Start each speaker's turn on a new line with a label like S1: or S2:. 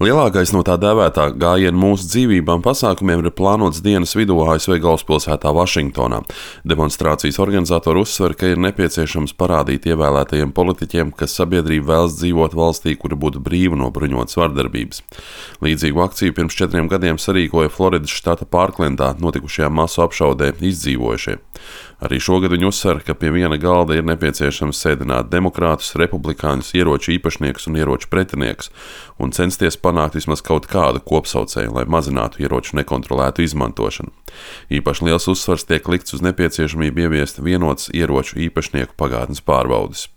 S1: Lielākais no tā dēvētā gājiena mūsu dzīvībām pasākumiem ir plānots dienas vidū ASV galvaspilsētā Vašingtonā. Demonstrācijas organizatori uzsver, ka ir nepieciešams parādīt ievēlētajiem politiķiem, ka sabiedrība vēlas dzīvot valstī, kura būtu brīva no bruņotas vardarbības. Līdzīgu akciju pirms 4 gadiem sarīkoja Floridas štata Pārklendā notikušajā masu apšaudē izdzīvojušie. Arī šogad viņi uzsver, ka pie viena galda ir nepieciešams sēdināt demokrātus, republikāņus, ieroču īpašniekus un ieroču pretiniekus un censties panākt vismaz kaut kādu kopsaucēju, lai mazinātu ieroču nekontrolētu izmantošanu. Īpaši liels uzsvars tiek likts uz nepieciešamību ieviest vienotas ieroču īpašnieku pagātnes pārbaudes.